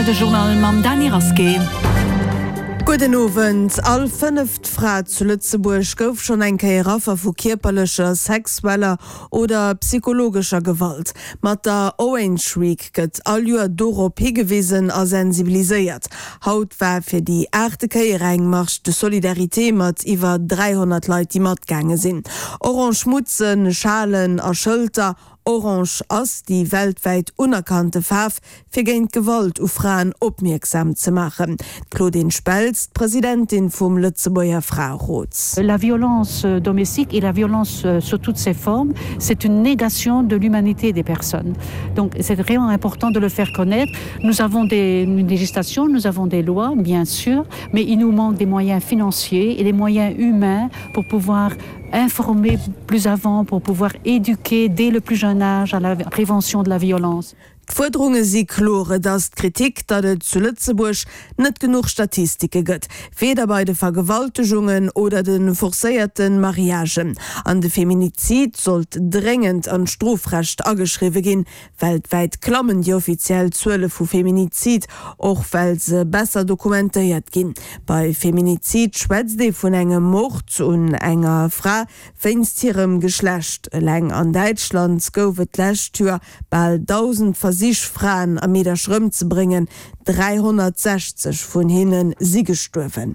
De Journal mam Dany Rasqué. Gudden Owend. All fënneft Fra zu Lëtzebuerg gouf schonn eng Kéier Affer vu kierperlecher, sexueller oder psychologescher Gewalt. Mat der Orange Week gëtt all Joer dorop higewisen a sensibiliséiert. Haut war fir déi aachte Kéier eng Marche de solidarité mat iwwer 300 Leit, déi matgaange sinn. Orange Mutzen, Schalen a Schëlter, Orange ass déi weltwäit unerkannte Faarf, fir géint Gewalt u Fraen opmierksam ze maachen. D'Claudine Speltz, d'Presidentin vum Lëtzebuerger Fraerot. La violence domestique et la violence sous toutes ses formes, c'est une négation de l'humanité des personnes. Donc c'est vraiment important de le faire connaître. Nous avons des une législation, nous avons des lois, bien sûr, mais il nous manque des moyens financiers et des moyens humains pour pouvoir informer plus avant, pour pouvoir éduquer dès le plus jeune âge à la prévention de la violence. D'Fuerderunge si kloer, Et ass d'Kritik, datt et zu Lëtzebuerg net genuch Statistike gëtt, weder bei de Vergewaltegungen oder de forcéierte Mariagen. An de Feminizid sollt dréngend an d'Strofrecht ageschriwwe ginn. Weltwäit klammen déi offiziell Zuele vu Feminizid, och well se besser dokumentéiert ginn. Bei Feminizid schwätzt ee vun engem Mord un enger Fra wéinst hirem Geschlecht. Eleng an Däitschland gouf et d'lescht Joer bal 1.000 Versich, Fraen a Meedercher ëmzebréngen, 360 vun hinne si gestuerwen.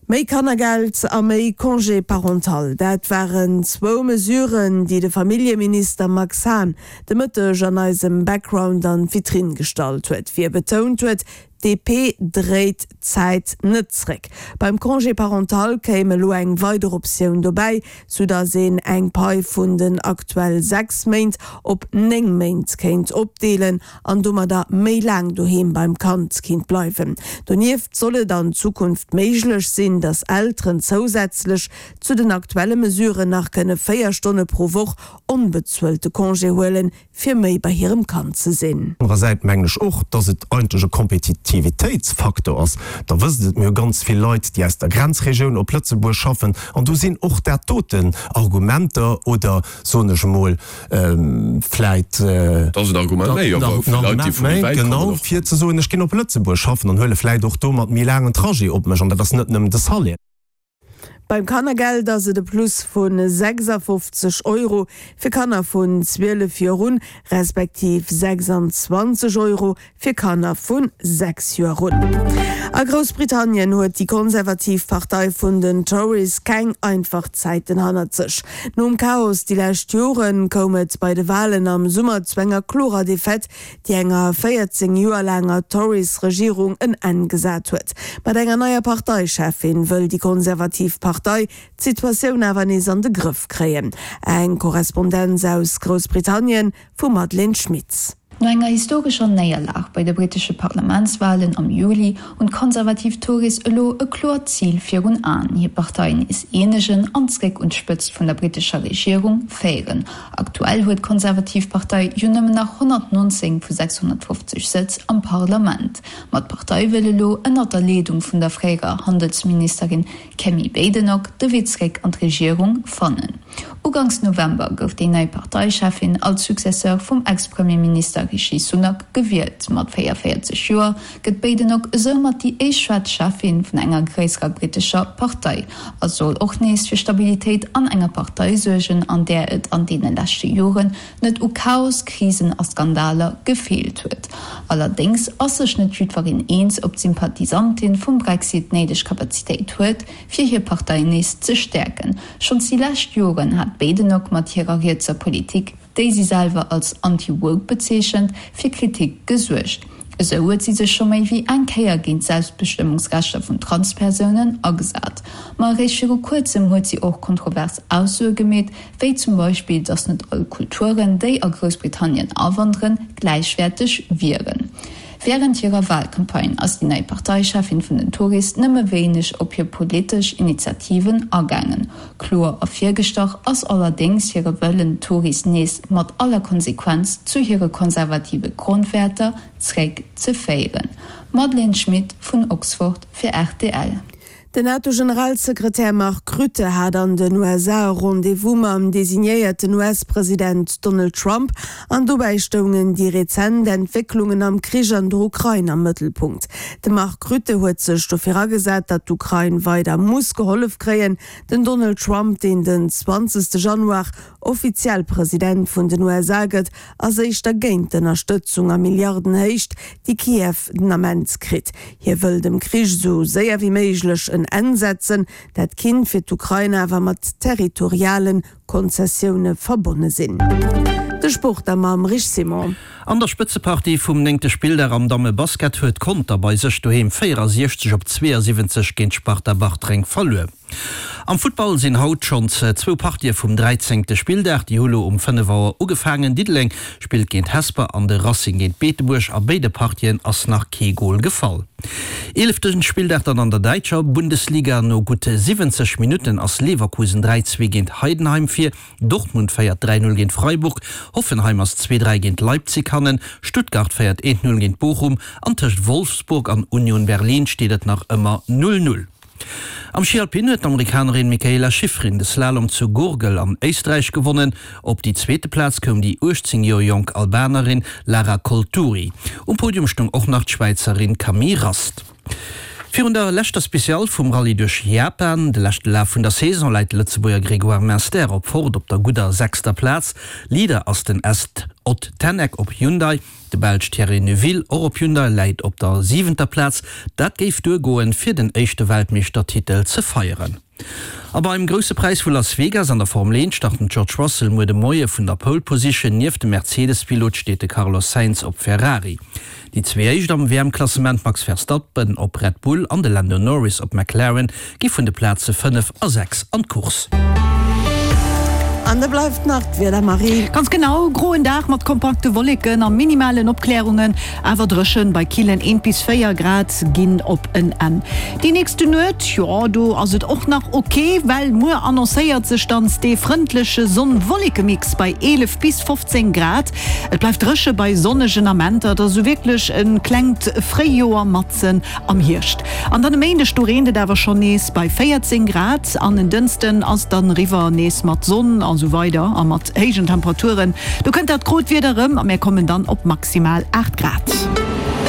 Méi Kannergeld a méi Congé parental, dat waren zwou Mesuren, déi de Familljeminister Max Hahn de Mëtteg an eisem Background an d'Vitrinn gestallt huet, wéi e betount huet, DP dréit d'Zäit net zréck. Beim Congé parental kéim elo eng weider Optioun dobäi, sou datt een eng Pai vun den aktuell 6 Méint op 9 Méint kéint opdeelen an domadder méi laang doheem beim Kand kinnt bleiwen. Donieft soll et an Zukunft méiglech sinn, datt Elteren zousätzlech zu den aktuelle Mesuren nach kënne 4 Stonne pro Woch onbezuelte Congé huelen, fir méi bei hirem Kand ze sinn. Anerer Säit mengen ech och, dass et eigentlech e Kompetitivitéitsfaktor ass. Der wësst et, mir hu ganz vill Leit, déi aus der Grenzregioun op Lëtzebuerg schaffen, an do sinn och dat doten Argumenter oder, soen ech emol, vläit Dat ass en Argument méi, awer fir Leit, déi vu méi wäit kommen och. Genau, fir ze soen, ech ginn op Lëtzebuerg schaffen an huele vläit och domat méi laangen Trajet op mech, an dat ass net nëmmen de Salaire. Beim Kannergeld ass et e Plus vu 56 Euro fir Kanner vun 12 Joer un, respektiv 26 Euro fir Kanner vu 6 Joer un. A Groussbritannien huet déi konservativ Partei vun den Tories keng einfach Zäiten hannert sech. Nom Chaos déi lescht Joren koum et bei de Walen am Summer zu enger klorer Defaite, déi enger 14 Joer laanger Tories-Regierung en Enn gesat huet. Mat enger neier Parteicheffin wëll déi konservativ Partei d'Situatioun awer nees an de Grëff kréien. Eng Korrespondenz aus Groussbritannien vum Madeleine Schmitz. No enger historescher Néierlag bei de brittesche Parlamentswalen am Juli hunn d'konservativ Tories elo e kloert Zil virun Aen, hir Partei nees eenegen an zréck un d'Spëtzt vun der brittescher Regierung féieren. Aktuell huet d'konservativ Partei jo nëmmen nach 119 vu 650 Sëtz am Parlament. Ma d'Partei wëll elo ënnert der Leedung vun der fréierer Handelsministerin Kemi Badenoch de Wee zréck an d'Regierung fannen. Uganks November gouf déi nei Parteicheffin als Successeur vum Ex-Premierminister Rishi Sunak gewielt. Mat 44 Joer gëtt d'Badenoch esoumat déi éischt schwaarz Cheffin vun enger gréisserer brittescher Partei a soll och nees fir Stabilitéit an enger Partei suergen, an där et an deene leschte Joren net u Chaos, Krisen a Skandaler gefeelt huet. Allerdéngs ass sech net jiddwereen eens, ob d'Sympathisantin vum Brexit d'néideg Kapazitéit huet, fir hir Partei nees ze stäerken. Schonns déi lescht Joren hat d'Badenoch mat hirer rietser Politik, déi si selwer als anti-woke bezeechent, fir Kritik gesuergt. Esou huet si sech scho méi wéi eng Kéier géint d'Selbstbestëmmungsrechter vun Transpersounen agesat. Ma eréischt viru kuerzem huet si och kontrovers Aussoe gemeet, wéi zum Beispill, datt net all Kulturen, déi a Groussbritannien awanderen, gläichwäerteg wieren. Wärend hirer Walcampagne ass déi nei Parteicheffin vun den Tories nëmme wéineg op hir politesch Initiativen agaangen. Kloer ervirgestach ass allerdéngs hire Wëllen, d'Tories nees mat aller Konsequenz zu hire konservative Grondwäerter zréck ze féieren. Madeleine Schmit vun Oxford fir rtl. Den NATO-Generalsekretär Mark Rutte hat an den USA e Rendez-vous mam designéierten US-President Donald Trump an dobäi stoungen déi rezent Entwécklungen am Krich an der Ukrain am Mëttelpunkt. De Mark Rutte huet sech dofir agesat, datt d'Ukrain weider muss gehollef kréien. Den Donald Trump, deen den 20 Januar offiziell President vun den USA gëtt, ass éischter géint d'Ënnerstëtzung a Milliardenhéicht, déi Kiew den Ament kritt. Hie wëll dem Krich esou séier wéi méiglech en Enn setzen. Dat kinnt fir d'Ukrain awer mat territoriale Konzessioune verbonne sinn. De Sport da mam Rich Simon. An der Spëtzepartie vum néngte Spilldag am Damme-Basket huet Conter bei sech doheem 64 op 72 géint d'Sparta Bartreng verluer. Am Futtball sinn haut schonns zwou Partië vum dräizéngte Spilldag. Déi hu lo um 5 Auer ugefaangen. Diddeleng spillt géint Hesper an de Racing géint Beetebuerg. A béide Partien ass nach kee Gol gefall. Eelefte Spilldag dann an der däitscher Bundesliga. No gutt 70 Minutten ass Leverkusen 3, 2 géint Heidenheim vir. Dortmund féiert 3, 0 géint Freiburg. Hoffenheim ass 2, 3 géint Leipzig hannen. Stuttgart féiert 1, 0 géint Bochum an tëscht Wolfsburg an Union Berlin steet et nach ëmmer 0, 0. Am Schi Alpin huet d'Amerikanerin Mikaela Shiffrin de Slalom zu Gurgl an Éisträich gewonnen. Op déi zweete Plaz koum déi 18 Joer jonk Albanerin Lara Colturi. Um Podium stoung och nach d'Schwäizerin Camille Rast. Virun der leschter Special vum Rallye duerch Japan, de leschte Laf vun der Saison, läit de Lëtzebuerger Grégoire Munster op Ford op der gudder sechster Plaz. Leader ass den Est Ott Tänak op Hyundai. De Belsch Thierry Neuville, och op Hyundai, läit op der siwenter Plaz. Dat géif duergoen, fir den éischte Weltmeeschtertitel ze feieren. A beim Grousse Präis vu Las Vegas an der Formel 1 start den George Russell muer de Moie vun der Pole Position. Nieft dem Mercedes-Pilot steet de Carlos Sainz op Ferrari. Déi zwee éischt am WM-Klassement, Max Verstappen op Red Bull an de Lando Norris op McLaren, gi vun de Plaze 5 a 6 an d'Course. An da bleift nach d'Wieder, Marie. Ganz genau, groen Dag mat kompakte Wolleken a minimalen Opklärungen, awer dréchen bei killen 1 bis 4 Grad ginn op en Enn. Déi nächste Nuet, jo do ass et och nach ok, well muer annoncéiert sech dann dee frëndleche Sonn-Wolleke-Mix bei 11 bis 15 Grad. Et bleift dréche bei sonnegen Amenter, et ass esou wierklech e klengt Fréijoer matzen am Hierscht. An dann e Méindeg, do reent et awer schonn nees bei 14 Grad an en Dënschden ass dann eriwwer nees mat Sonn a sou weider a mat héijen Temperaturen. Do kënnt dat grot Wieder erëm a mär kommen dann op maximal 8 Grad.